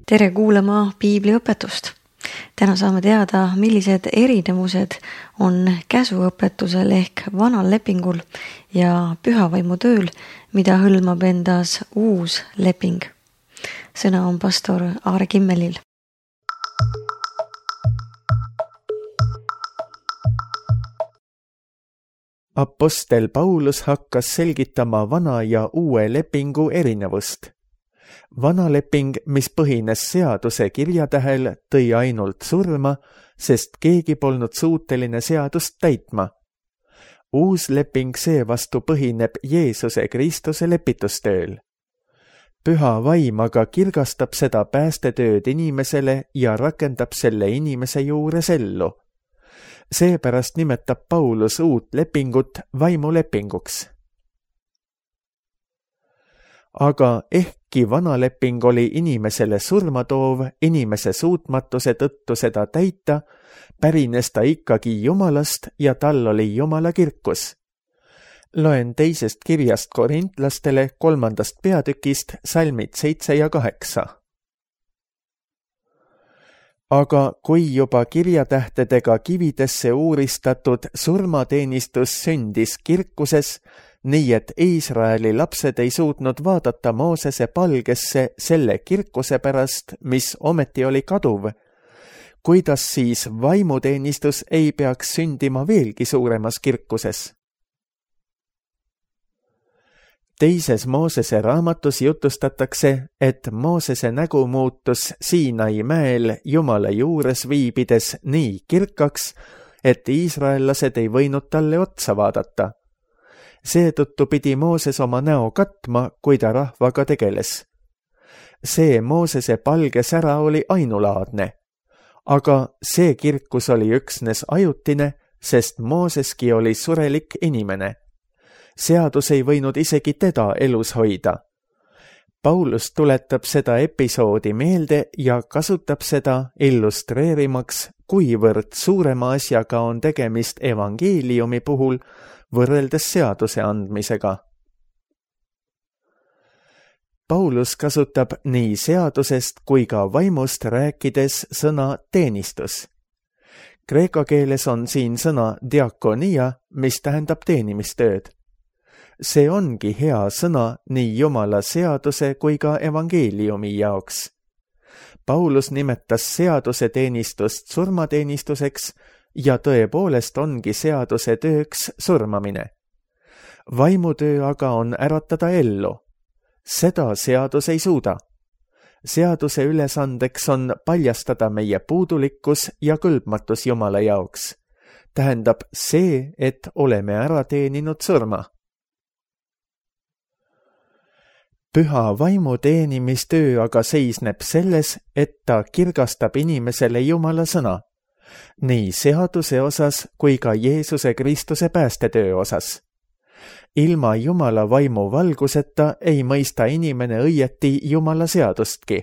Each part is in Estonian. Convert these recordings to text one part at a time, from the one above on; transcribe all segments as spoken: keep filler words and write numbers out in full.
Tere kuulama piibliõpetust! Täna saame teada, millised erinevused on käsuõpetusel ehk vanal lepingul ja pühavaimu tööl, mida hõlmab endas uus leping. Sõna on pastor Aare Kimmelil. Apostel Paulus hakkas selgitama vana ja uue lepingu erinevust. Vana leping, mis põhines seaduse kirjatähel, tõi ainult surma, sest keegi polnud suuteline seadust täitma. Uus leping seevastu põhineb Jeesuse Kristuse lepitustööl. Püha vaim aga kirgastab seda päästetööd inimesele ja rakendab selle inimese juures ellu. Seepärast nimetab Paulus uut lepingut vaimulepinguks. Aga ehkki vana leping oli inimesele surmatoov inimese suutmatuse tõttu seda täita, pärines ta ikkagi Jumalast ja tal oli Jumala kirkus. Loen teisest kirjast korintlastele kolmandast peatükist salmid seitse ja kaheksa. Aga kui juba kirjatähtedega kividesse uuristatud surmateenistus sündis kirkuses, nii et Iisraeli lapsed ei suutnud vaadata Moosese palgesse selle kirkuse pärast, mis ometi oli kaduv, kuidas siis vaimuteenistus ei peaks sündima veelgi suuremas kirkuses? Teises Moosese raamatus jutustatakse, et Moosese nägu muutus Siinai mäel Jumala juures viibides nii kirkaks, et iisraellased ei võinud talle otsa vaadata. Seetõttu pidi Mooses oma näo katma, kui ta rahvaga tegeles. See Moosese palge sära oli ainulaadne, aga see kirkus oli üksnes ajutine, sest Mooseski oli surelik inimene. Seadus ei võinud isegi teda elus hoida. Paulus tuletab seda episoodi meelde ja kasutab seda illustreerimaks, kuivõrd suurema asjaga on tegemist evangeeliumi puhul võrreldes seaduse andmisega. Paulus kasutab nii seadusest kui ka vaimust rääkides sõna teenistus. Kreeka keeles on siin sõna diakonia, mis tähendab teenimistööd. See ongi hea sõna nii Jumala seaduse kui ka evangeeliumi jaoks. Paulus nimetas seaduse teenistust surmateenistuseks ja tõepoolest ongi seaduse tööks surmamine. Vaimutöö aga on äratada ellu. Seda seadus ei suuda. Seaduse ülesandeks on paljastada meie puudulikkus ja kõlbmatus Jumala jaoks. Tähendab see, et oleme ära teeninud surma. Püha vaimu teenimistöö aga seisneb selles, et ta kirgastab inimesele Jumala sõna, nii seaduse osas kui ka Jeesuse Kristuse päästetöö osas. Ilma Jumala vaimu valguseta ei mõista inimene õieti Jumala seadustki.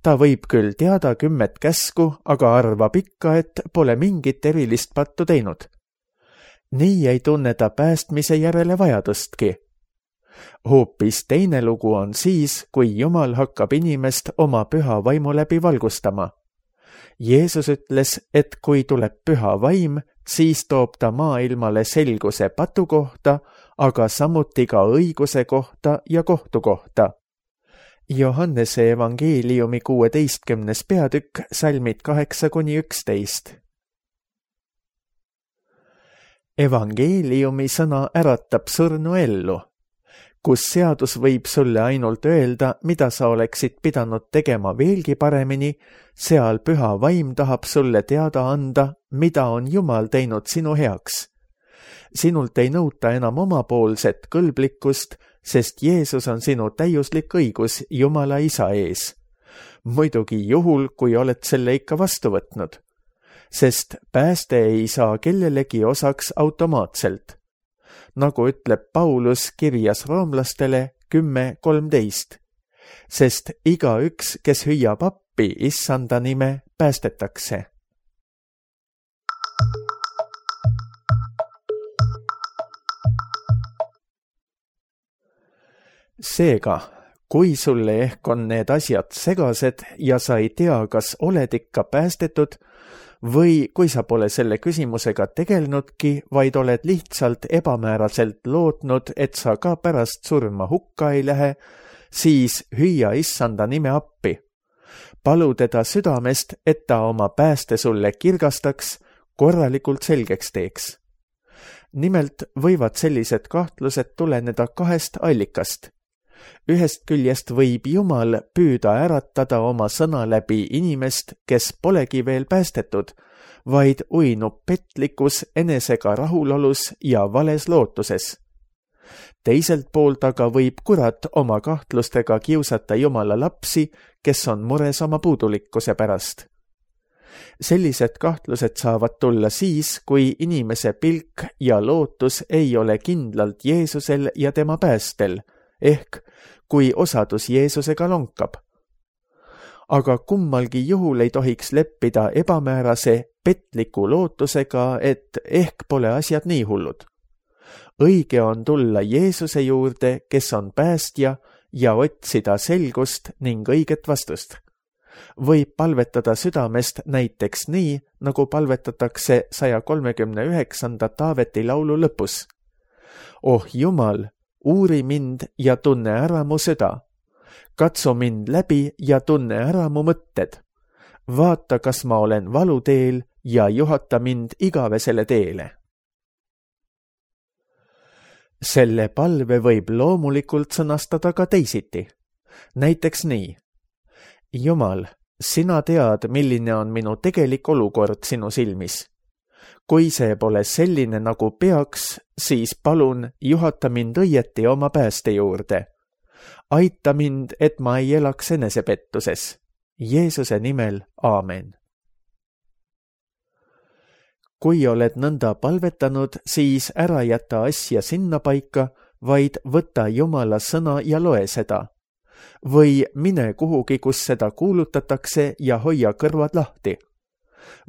Ta võib küll teada kümmet käsku, aga arvab ikka, et pole mingit erilist pattu teinud. Nii ei tunne ta päästmise järele vajadustki. Hoopis teine lugu on siis, kui Jumal hakkab inimest oma püha vaimu läbi valgustama. Jeesus ütles, et kui tuleb püha vaim, siis toob ta maailmale selguse patu kohta, aga samuti ka õiguse kohta ja kohtu kohta. Johannese evangeeliumi kuueteistkümnes peatükk, salmid kaheksa kuni üksteist. Evangeeliumi sõna äratab surnu ellu. Kus seadus võib sulle ainult öelda, mida sa oleksid pidanud tegema veelgi paremini, seal püha vaim tahab sulle teada anda, mida on Jumal teinud sinu heaks. Sinult ei nõuta enam omapoolset kõlblikkust, sest Jeesus on sinu täiuslik õigus Jumala Isa ees. Muidugi juhul, kui oled selle ikka vastu võtnud. Sest pääste ei saa kellelegi osaks automaatselt. Nagu ütleb Paulus kirjas roomlastele kümme kolmteist, sest igaüks, kes hüüab appi issanda nime, päästetakse. Seega, kui sulle ehk on need asjad segased ja sa ei tea, kas oled ikka päästetud, või kui sa pole selle küsimusega tegelnudki, vaid oled lihtsalt ebamääraselt lootnud, et sa ka pärast surma hukka ei lähe, siis hüüa issanda nime appi. Palu teda südamest, et ta oma pääste sulle kirgastaks, korralikult selgeks teeks. Nimelt võivad sellised kahtlused tuleneda kahest allikast. Ühest küljest võib Jumal püüda äratada oma sõna läbi inimest, kes polegi veel päästetud, vaid uinub petlikus enesega rahulolus ja vales lootuses. Teiselt poolt aga võib kurat oma kahtlustega kiusata Jumala lapsi, kes on mures oma puudulikkuse pärast. Sellised kahtlused saavad tulla siis, kui inimese pilk ja lootus ei ole kindlalt Jeesusel ja tema päästel, ehk kui osadus Jeesusega lonkab. Aga kummalgi juhul ei tohiks leppida ebamäärase, petliku lootusega, et ehk pole asjad nii hullud. Õige on tulla Jeesuse juurde, kes on päästja, ja otsida selgust ning õiget vastust. Võib palvetada südamest näiteks nii, nagu palvetatakse saja kolmekümne üheksanda Taaveti laulu lõpus. Oh Jumal, uuri mind ja tunne ära mu süda. Katsu mind läbi ja tunne ära mu mõtted. Vaata, kas ma olen valuteel ja juhata mind igavesele teele. Selle palve võib loomulikult sõnastada ka teisiti. Näiteks nii. Jumal, sina tead, milline on minu tegelik olukord sinu silmis. Kui see pole selline, nagu peaks, siis palun juhata mind õieti oma pääste juurde. Aita mind, et ma ei elaks enesepettuses. Jeesuse nimel, aamen. Kui oled nõnda palvetanud, siis ära jäta asja sinna paika, vaid võta Jumala sõna ja loe seda. Või mine kuhugi, kus seda kuulutatakse ja hoia kõrvad lahti.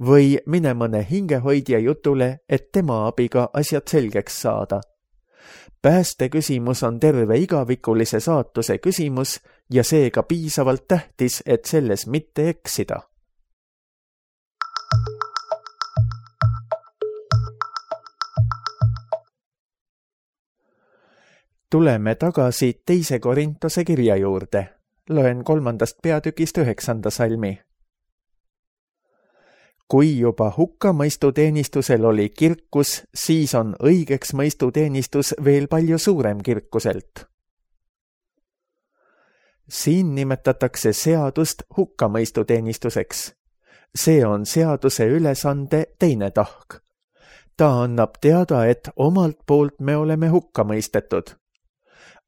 Või mine mõne hingehoidja jutule, et tema abiga asjad selgeks saada. Pääste küsimus on terve igavikulise saatuse küsimus ja seega piisavalt tähtis, et selles mitte eksida. Tuleme tagasi teise Korintuse kirja juurde. Loen kolmandast peatükist üheksanda salmi. Kui juba hukkamõistuteenistusel oli kirkus, siis on õigeks mõistuteenistus veel palju suurem kirkuselt. Siin nimetatakse seadust hukkamõistuteenistuseks. See on seaduse ülesande teine tahk. Ta annab teada, et omalt poolt me oleme hukka mõistetud.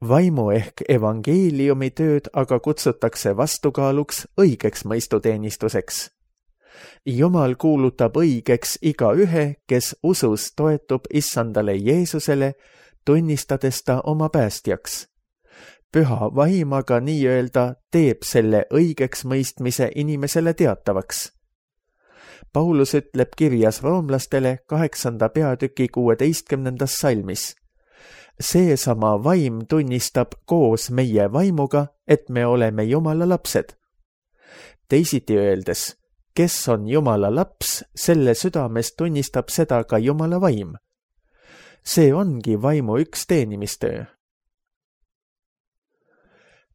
Vaimu ehk evangeeliumi tööd aga kutsutakse vastukaaluks õigeks mõistuteenistuseks. Jumal kuulutab õigeks iga ühe, kes usus toetub issandale Jeesusele, tunnistades ta oma päästjaks. Püha vaim aga nii-öelda teeb selle õigeks mõistmise inimesele teatavaks. Paulus ütleb kirjas roomlastele kaheksanda peatüki kuueteistkümnendas salmis. Seesama vaim tunnistab koos meie vaimuga, et me oleme Jumala lapsed. Teisiti öeldes, kes on Jumala laps, selle südames tunnistab seda ka Jumala vaim. See ongi vaimu üks teenimistöö.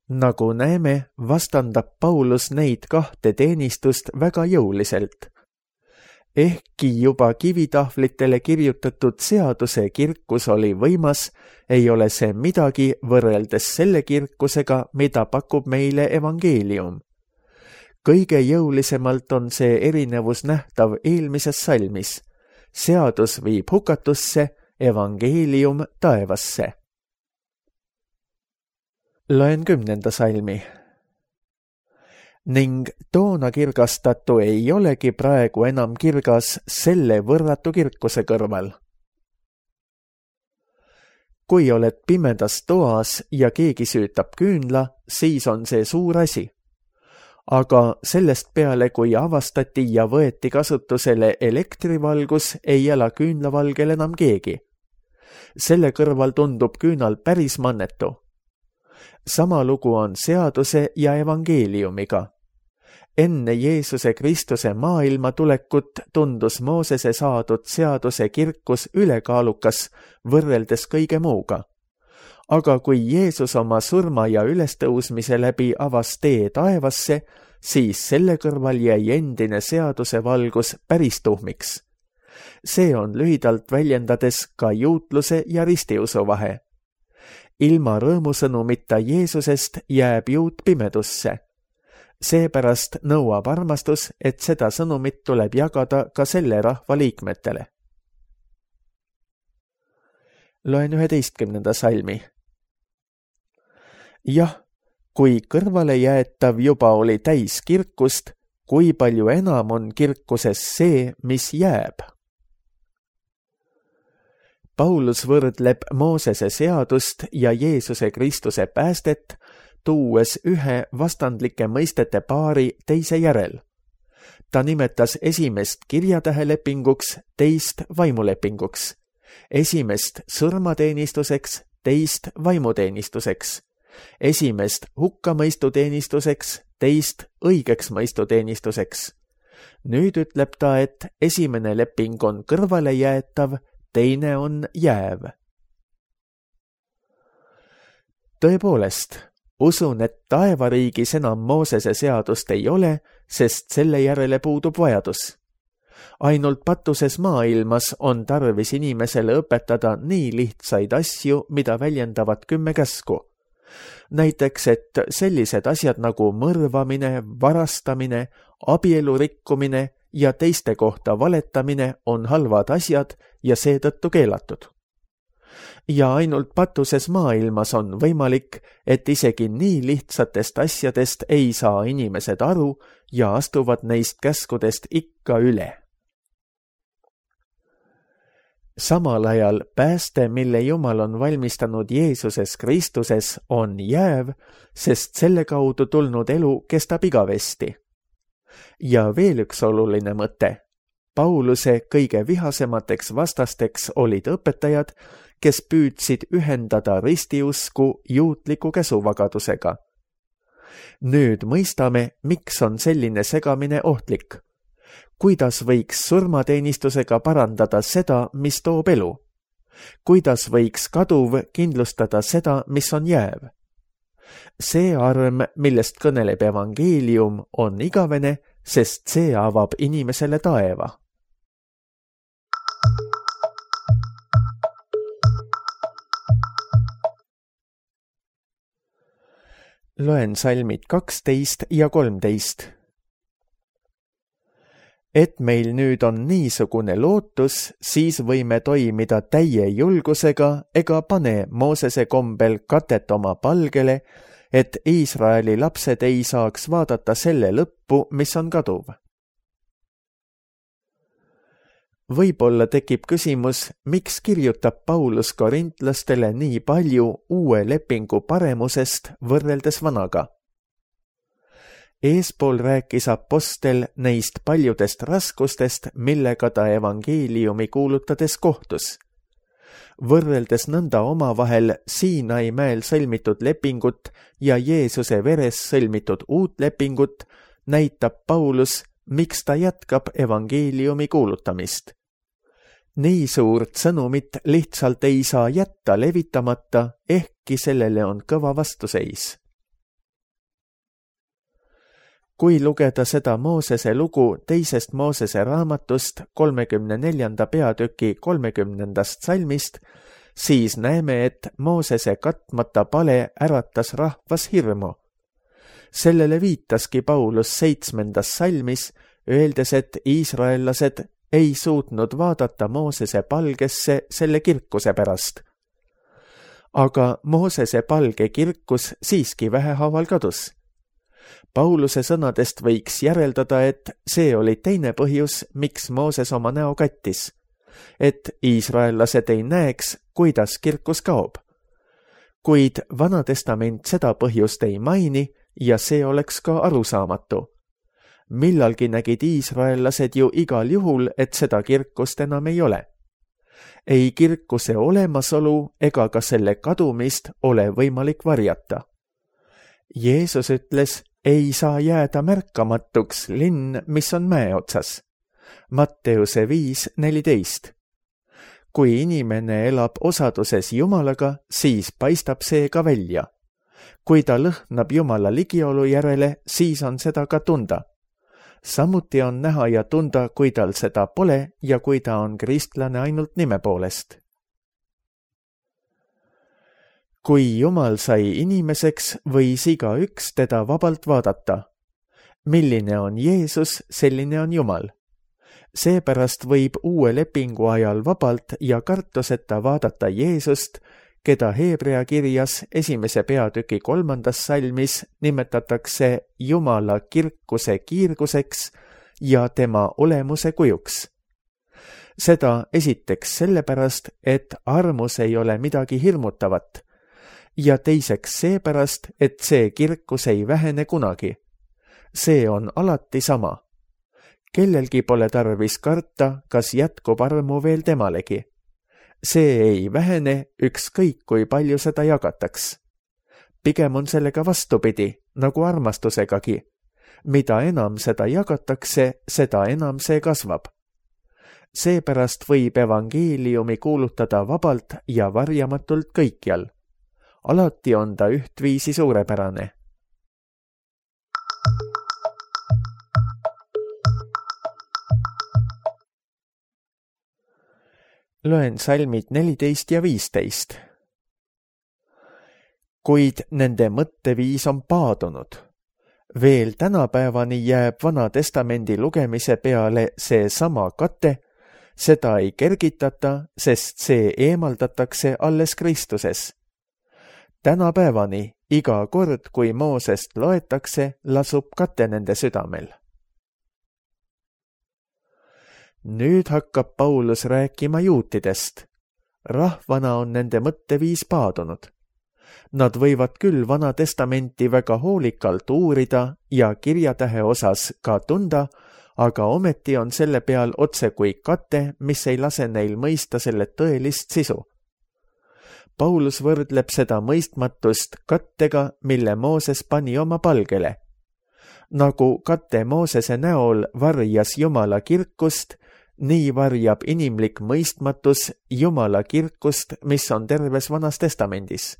Nagu näeme, vastandab Paulus neid kahte teenistust väga jõuliselt. Ehkki juba kivitahvlitele kirjutatud seaduse kirkus oli võimas, ei ole see midagi võrreldes selle kirkusega, mida pakub meile evangeelium. Kõige jõulisemalt on see erinevus nähtav eelmises salmis. Seadus viib hukatusse, evangeelium taevasse. Loen kümnenda salmi. Ning toona kirgastatu ei olegi praegu enam kirgas selle võrratu kirkuse kõrval. Kui oled pimedas toas ja keegi süütab küünla, siis on see suur asi. Aga sellest peale, kui avastati ja võeti kasutusele elektrivalgus, ei ela küünlavalgel enam keegi. Selle kõrval tundub küünal päris mannetu. sama lugu on seaduse ja evangeeliumiga. Enne Jeesuse Kristuse maailma tulekut tundus Moosese saadud seaduse kirkus ülekaalukas võrreldes kõige muuga. Aga kui Jeesus oma surma ja ülestõusmise läbi avas tee taevasse, siis selle kõrval jäi endine seaduse valgus päris tuhmiks. See on lühidalt väljendades ka juutluse ja ristiusu vahe. Ilma rõõmusõnumita Jeesusest jääb juut pimedusse. Seepärast nõuab armastus, et seda sõnumit tuleb jagada ka selle rahva liikmetele. Loen üheteistkümnenda salmi. Jah, kui kõrvale jäetav juba oli täis kirkust, kui palju enam on kirkuses see, mis jääb. Paulus võrdleb Moosese seadust ja Jeesuse Kristuse päästet, tuues ühe vastandlike mõistete paari teise järel. Ta nimetas esimest kirjatähelepinguks, teist vaimulepinguks, esimest surmateenistuseks, teist vaimuteenistuseks, esimest hukkamõistuteenistuseks, teist õigeks mõistuteenistuseks. Nüüd ütleb ta, et esimene leping on kõrvale jäetav, teine on jääv. Tõepoolest, usun, et taevariigis enam Moosese seadust ei ole, sest selle järele puudub vajadus. Ainult patuses maailmas on tarvis inimesele õpetada nii lihtsaid asju, mida väljendavad kümme käsku. Näiteks, et sellised asjad nagu mõrvamine, varastamine, abielu rikkumine ja teiste kohta valetamine on halvad asjad ja seetõttu keelatud. Ja ainult patuses maailmas on võimalik, et isegi nii lihtsatest asjadest ei saa inimesed aru ja astuvad neist käskudest ikka üle. Samal ajal pääste, mille Jumal on valmistanud Jeesuses Kristuses, on jääv, sest selle kaudu tulnud elu kestab igavesti. Ja veel üks oluline mõte. Pauluse kõige vihasemateks vastasteks olid õpetajad, kes püüdsid ühendada ristiusku juutliku käsuvagadusega. Nüüd mõistame, miks on selline segamine ohtlik. Kuidas võiks surmateenistusega parandada seda, mis toob elu? Kuidas võiks kaduv kindlustada seda, mis on jääv? See arm, millest kõneleb evangeelium, on igavene, sest see avab inimesele taeva. Loen salmid kaksteist ja kolmteist. Et meil nüüd on niisugune lootus, siis võime toimida täie julgusega ega pane Moosese kombel katet oma palgele, et Iisraeli lapsed ei saaks vaadata selle lõppu, mis on kaduv. Võib-olla tekib küsimus, miks kirjutab Paulus korintlastele nii palju uue lepingu paremusest võrreldes vanaga. Eespool rääkis apostel neist paljudest raskustest, millega ta evangeeliumi kuulutades kohtus. Võrreldes nõnda omavahel Siinai mäel sõlmitud lepingut ja Jeesuse veres sõlmitud uut lepingut, näitab Paulus, miks ta jätkab evangeeliumi kuulutamist. Nii suurt sõnumit lihtsalt ei saa jätta levitamata, ehkki sellele on kõva vastuseis. Kui lugeda seda Moosese lugu teisest Moosese raamatust kolmekümne neljanda peatüki kolmekümnendast salmist, siis näeme, et Moosese katmata pale äratas rahvas hirmu. Sellele viitaski Paulus seitsmendas salmis, öeldes, et iisraellased ei suutnud vaadata Moosese palgesse selle kirkuse pärast. Aga Moosese palge kirkus siiski vähehaaval kadus. Pauluse sõnadest võiks järeldada, et see oli teine põhjus, miks Mooses oma näo kattis, et iisraellased ei näeks, kuidas kirkus kaob. Kuid Vana Testament seda põhjust ei maini ja see oleks ka arusaamatu. Millalgi nägid iisraellased ju igal juhul, et seda kirkust enam ei ole. Ei kirkuse olemasolu ega ka selle kadumist ole võimalik varjata. Jeesus ütles, ei saa jääda märkamatuks linn, mis on mäe otsas. Matteuse viis neliteist. Kui inimene elab osaduses Jumalaga, siis paistab see ka välja. Kui ta lõhnab Jumala ligiolu järele, siis on seda ka tunda. Samuti on näha ja tunda, kui tal seda pole ja kui ta on kristlane ainult nime poolest. Kui Jumal sai inimeseks, võis igaüks teda vabalt vaadata. Milline on Jeesus, selline on Jumal. Seepärast võib uue lepingu ajal vabalt ja kartuseta vaadata Jeesust, keda Heebrea kirjas esimese peatüki kolmandas salmis nimetatakse Jumala kirkuse kiirguseks ja tema olemuse kujuks. Seda esiteks sellepärast, et armus ei ole midagi hirmutavat, ja teiseks seepärast, et see kirkus ei vähene kunagi. See on alati sama. Kellelgi pole tarvis karta, kas jätkub armu veel temalegi. See ei vähene, ükskõik kui palju seda jagataks. Pigem on sellega vastupidi, nagu armastusegagi. Mida enam seda jagatakse, seda enam see kasvab. Seepärast võib evangeeliumi kuulutada vabalt ja varjamatult kõikjal. Alati on ta ühtviisi suurepärane. Loen salmid neliteist ja viisteist. Kuid nende mõtteviis on paadunud. Veel tänapäevani jääb Vana Testamendi lugemise peale see sama kate, seda ei kergitata, sest see eemaldatakse alles Kristuses. Tänapäevani iga kord, kui Moosest loetakse, lasub kate nende südamel. Nüüd hakkab Paulus rääkima juutidest. Rahvana on nende mõtteviis paadunud. Nad võivad küll Vana Testamenti väga hoolikalt uurida ja kirjatähe osas ka tunda, aga ometi on selle peal otse kui kate, mis ei lase neil mõista selle tõelist sisu. Paulus võrdleb seda mõistmatust kattega, mille Mooses pani oma palgele. Nagu kate Moosese näol varjas Jumala kirkust, nii varjab inimlik mõistmatus Jumala kirkust, mis on terves Vanas Testamendis.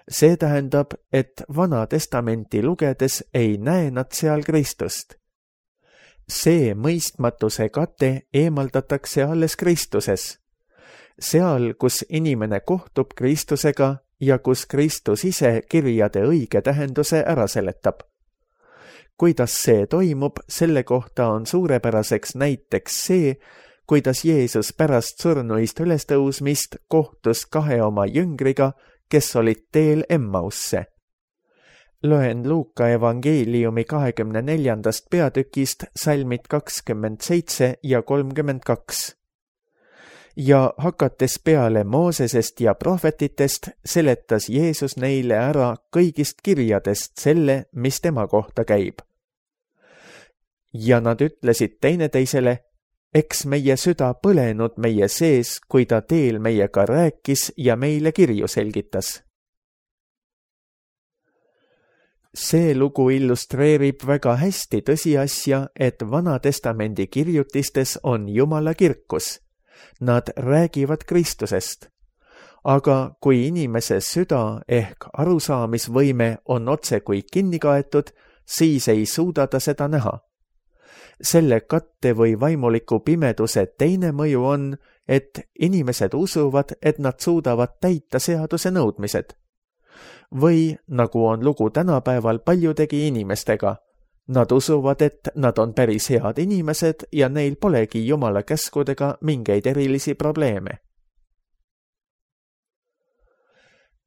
See tähendab, et Vana Testamenti lugedes ei näe nad seal Kristust. See mõistmatuse kate eemaldatakse alles Kristuses. Seal, kus inimene kohtub Kristusega ja kus Kristus ise kirjade õige tähenduse ära seletab. Kuidas see toimub, selle kohta on suurepäraseks näiteks see, kuidas Jeesus pärast surnuist ülestõusmist kohtus kahe oma jüngriga, kes olid teel Emmausse. Loen Luuka evangeeliumi kahekümne neljandast peatükist salmid kakskümmend seitse ja kolmkümmend kaks. Ja hakates peale Moosesest ja prohvetitest, seletas Jeesus neile ära kõigist kirjadest selle, mis tema kohta käib. Ja nad ütlesid teineteisele, eks meie süda põlenud meie sees, kui ta teel meiega rääkis ja meile kirju selgitas. See lugu illustreerib väga hästi tõsiasja, et Vana Testamendi kirjutistes on Jumala kirkus. Nad räägivad Kristusest. Aga kui inimese süda ehk arusaamisvõime on otse kui kinni kaetud, siis ei suuda ta seda näha. Selle katte või vaimuliku pimeduse teine mõju on, et inimesed usuvad, et nad suudavad täita seaduse nõudmised. Või, nagu on lugu tänapäeval paljudegi inimestega, nad usuvad, et nad on päris head inimesed ja neil polegi Jumala käskudega mingeid erilisi probleeme.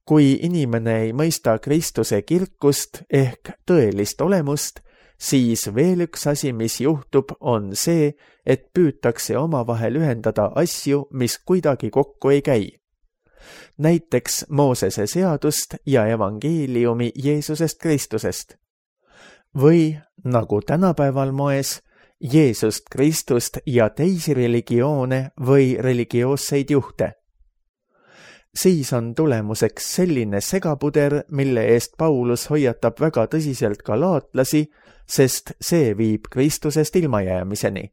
Kui inimene ei mõista Kristuse kirkust ehk tõelist olemust, siis veel üks asi, mis juhtub, on see, et püütakse omavahel ühendada asju, mis kuidagi kokku ei käi. Näiteks Moosese seadust ja evangeeliumi Jeesusest Kristusest. Või, nagu tänapäeval moes, Jeesust Kristust ja teisi religioone või religioosseid juhte. siis on tulemuseks selline segapuder, mille eest Paulus hoiatab väga tõsiselt galaatlasi, sest see viib Kristusest ilmajäämiseni.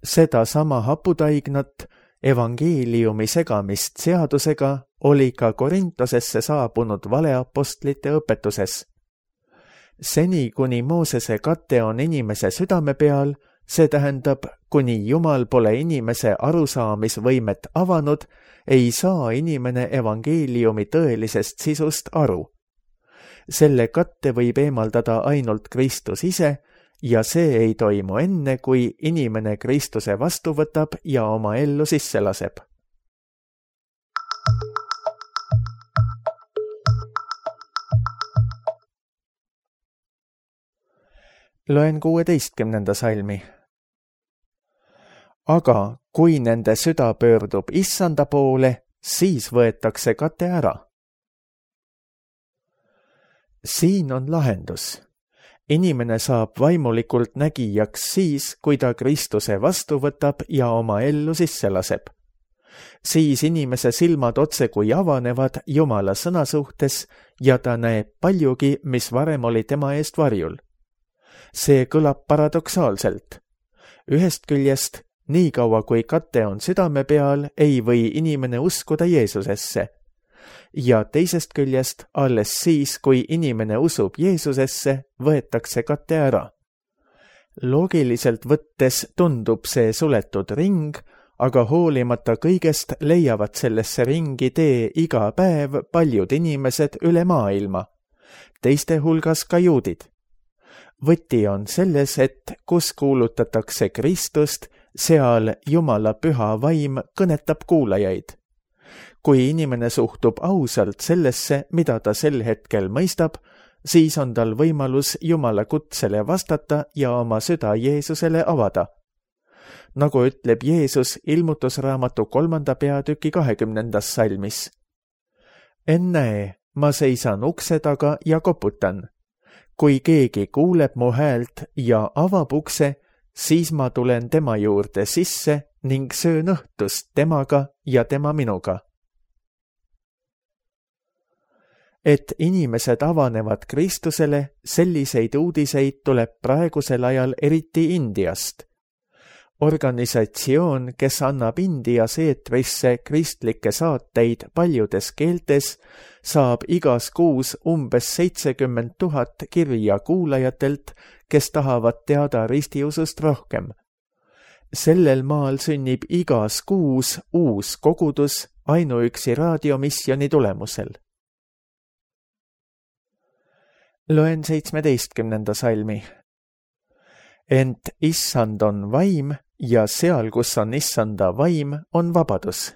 Seda sama haputaignat, evangeeliumi segamist seadusega, oli ka Korintosesse saabunud valeapostlite õpetuses. Seni, kuni Moosese kate on inimese südame peal, see tähendab, kuni Jumal pole inimese arusaamisvõimet avanud, ei saa inimene evangeeliumi tõelisest sisust aru. Selle katte võib eemaldada ainult Kristus ise ja see ei toimu enne, kui inimene Kristuse vastu võtab ja oma ellu sisse laseb. Loen kuueteistkümnenda salmi. Aga kui nende süda pöördub issanda poole, siis võetakse kate ära. Siin on lahendus. Inimene saab vaimulikult nägijaks siis, kui ta Kristuse vastu võtab ja oma ellu sisse laseb. Siis inimese silmad otse kui avanevad Jumala sõna suhtes ja ta näeb paljugi, mis varem oli tema eest varjul. See kõlab paradoksaalselt. Ühest küljest, nii kaua kui kate on südame peal, ei või inimene uskuda Jeesusesse. Ja teisest küljest, alles siis, kui inimene usub Jeesusesse, võetakse kate ära. Loogiliselt võttes tundub see suletud ring, aga hoolimata kõigest leiavad sellesse ringi tee iga päev paljud inimesed üle maailma, teiste hulgas ka juudid. Võti on selles, et kus kuulutatakse Kristust, seal Jumala püha vaim kõnetab kuulajaid. Kui inimene suhtub ausalt sellesse, mida ta sel hetkel mõistab, siis on tal võimalus Jumala kutsele vastata ja oma süda Jeesusele avada. Nagu ütleb Jeesus ilmutusraamatu kolmanda peatüki kahekümnendas salmis. Ennäe, ma seisan ukse taga ja koputan. Kui keegi kuuleb mu häält ja avab ukse, siis ma tulen tema juurde sisse ning söön õhtust temaga ja tema minuga. Et inimesed avanevad Kristusele, selliseid uudiseid tuleb praegusel ajal eriti Indiast. Organisatsioon, kes annab Indias eetrisse kristlikke saateid paljudes keeltes, saab igas kuus umbes seitsekümmend tuhat kirja kuulajatelt, kes tahavad teada ristiusust rohkem. Sellel maal sünnib igas kuus uus kogudus ainuüksi raadiomisjoni tulemusel. Loen seitsmeteistkümnenda salmi. Ent issand on vaim ja seal, kus on issanda vaim, on vabadus.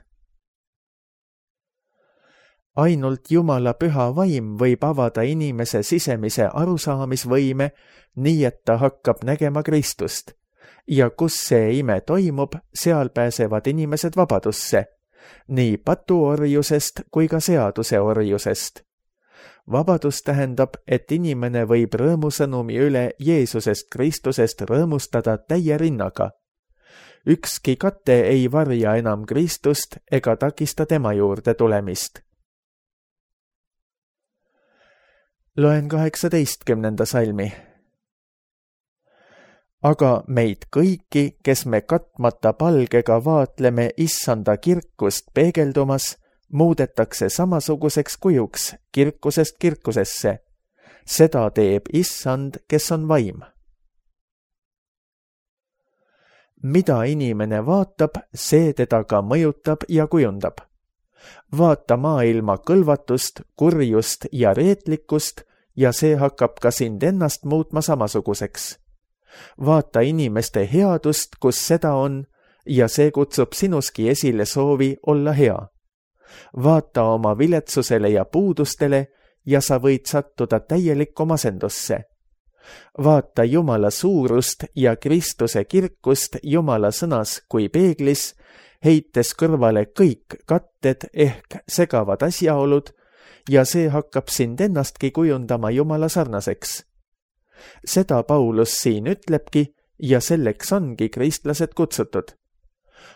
Ainult Jumala püha vaim võib avada inimese sisemise arusaamisvõime, nii et ta hakkab nägema Kristust. Ja kus see ime toimub, seal pääsevad inimesed vabadusse, nii patuorjusest kui ka seaduse orjusest. Vabadus tähendab, et inimene võib rõõmusõnumi üle Jeesusest Kristusest rõõmustada täie rinnaga. Ükski kate ei varja enam Kristust ega takista tema juurde tulemist. Loen kaheksateistkümnenda salmi. Aga meid kõiki, kes me katmata palgega vaatleme issanda kirkust peegeldumas, muudetakse samasuguseks kujuks kirkusest kirkusesse. Seda teeb issand, kes on vaim. Mida inimene vaatab, see teda ka mõjutab ja kujundab. Vaata maailma kõlvatust, kurjust ja reetlikkust ja see hakkab ka sind ennast muutma samasuguseks. Vaata inimeste headust, kus seda on, ja see kutsub sinuski esile soovi olla hea. Vaata oma viletsusele ja puudustele ja sa võid sattuda täielikku masendusse. Vaata Jumala suurust ja Kristuse kirkust Jumala sõnas kui peeglis, heites kõrvale kõik katted ehk segavad asjaolud ja see hakkab sind ennastki kujundama Jumala sarnaseks. Seda Paulus siin ütlebki ja selleks ongi kristlased kutsutud.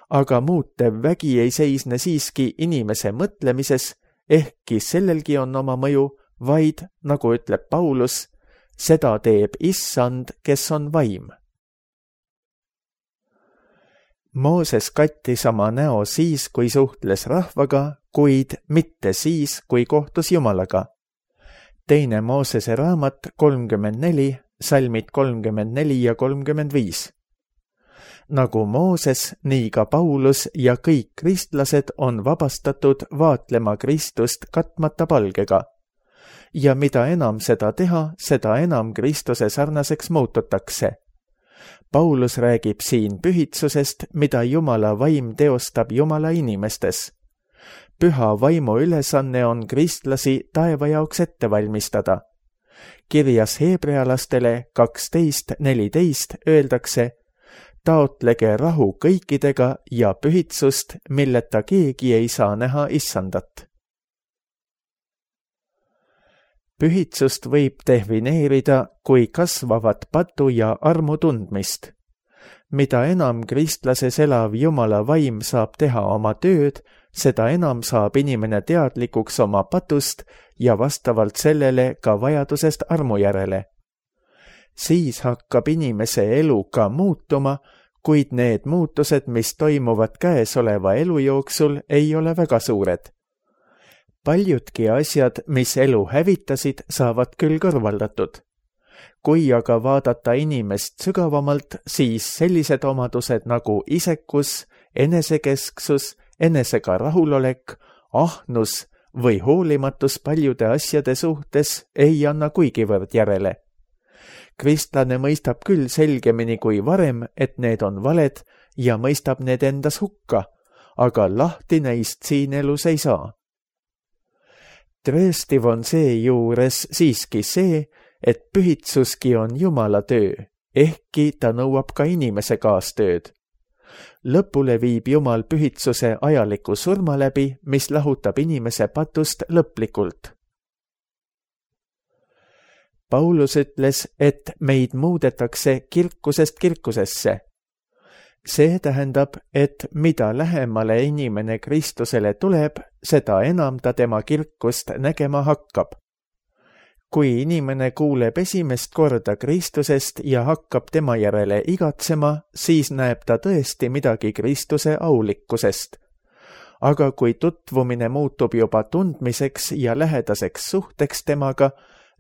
aga muutev vägi ei seisne siiski inimese mõtlemises, ehkki sellelgi on oma mõju, vaid, nagu ütleb Paulus, seda teeb issand, kes on vaim. Mooses kattis oma näo siis, kui suhtles rahvaga, kuid mitte siis, kui kohtus Jumalaga. Teine Moosese raamat kolmkümmend neli, salmid kolmkümmend neli ja kolmkümmend viis. Nagu Mooses, nii ka Paulus ja kõik kristlased on vabastatud vaatlema Kristust katmata palgega. Ja mida enam seda teha, seda enam Kristuse sarnaseks muututakse. Paulus räägib siin pühitsusest, mida Jumala vaim teostab Jumala inimestes. Püha vaimu ülesanne on kristlasi taeva jaoks ette valmistada. Kirjas heebrealastele kaksteist neliteist öeldakse: taotlege rahu kõikidega ja pühitsust, milleta keegi ei saa näha issandat. Pühitsust võib defineerida kui kasvavat patu ja armu tundmist. Mida enam kristlases elav Jumala vaim saab teha oma tööd, seda enam saab inimene teadlikuks oma patust ja vastavalt sellele ka vajadusest armu järele. Siis hakkab inimese elu ka muutuma, kuid need muutused, mis toimuvad käesoleva elu jooksul, ei ole väga suured. Paljudki asjad, mis elu hävitasid, saavad küll kõrvaldatud. Kui aga vaadata inimest sügavamalt, siis sellised omadused nagu isekus, enesekesksus, enesega rahulolek, ahnus või hoolimatus paljude asjade suhtes ei anna kuigivõrd järele. Kristlane mõistab küll selgemini kui varem, et need on valed ja mõistab need endas hukka, aga lahti neist siin elus ei saa. Tõestiv on seejuures siiski see, et pühitsuski on Jumala töö, ehkki ta nõuab ka inimese kaastööd. Lõpule viib Jumal pühitsuse ajaliku surma läbi, mis lahutab inimese patust lõplikult. Paulus ütles, et meid muudetakse kirkusest kirkusesse. See tähendab, et mida lähemale inimene Kristusele tuleb, seda enam ta tema kirkust nägema hakkab. Kui inimene kuuleb esimest korda Kristusest ja hakkab tema järele igatsema, siis näeb ta tõesti midagi Kristuse aulikkusest. Aga kui tutvumine muutub juba tundmiseks ja lähedaseks suhteks temaga,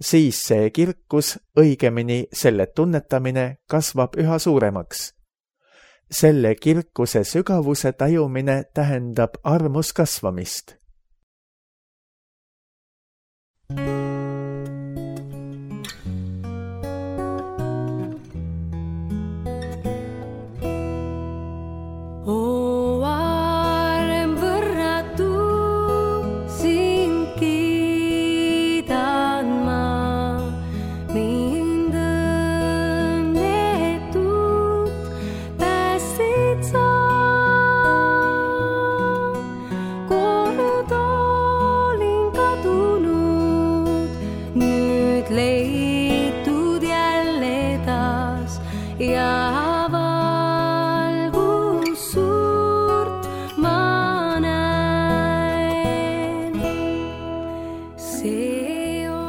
siis see kirkus, õigemini selle tunnetamine, kasvab üha suuremaks. Selle kirkuse sügavuse tajumine tähendab armus kasvamist.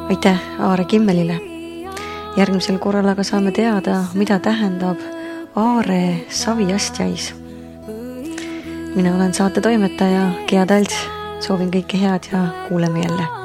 Aitäh Aare Kimmelile. Järgmisel korral aga saame teada, mida tähendab Aare saviastjais. Mina olen saate toimetaja Gea Talts. Soovin kõike head ja kuuleme jälle.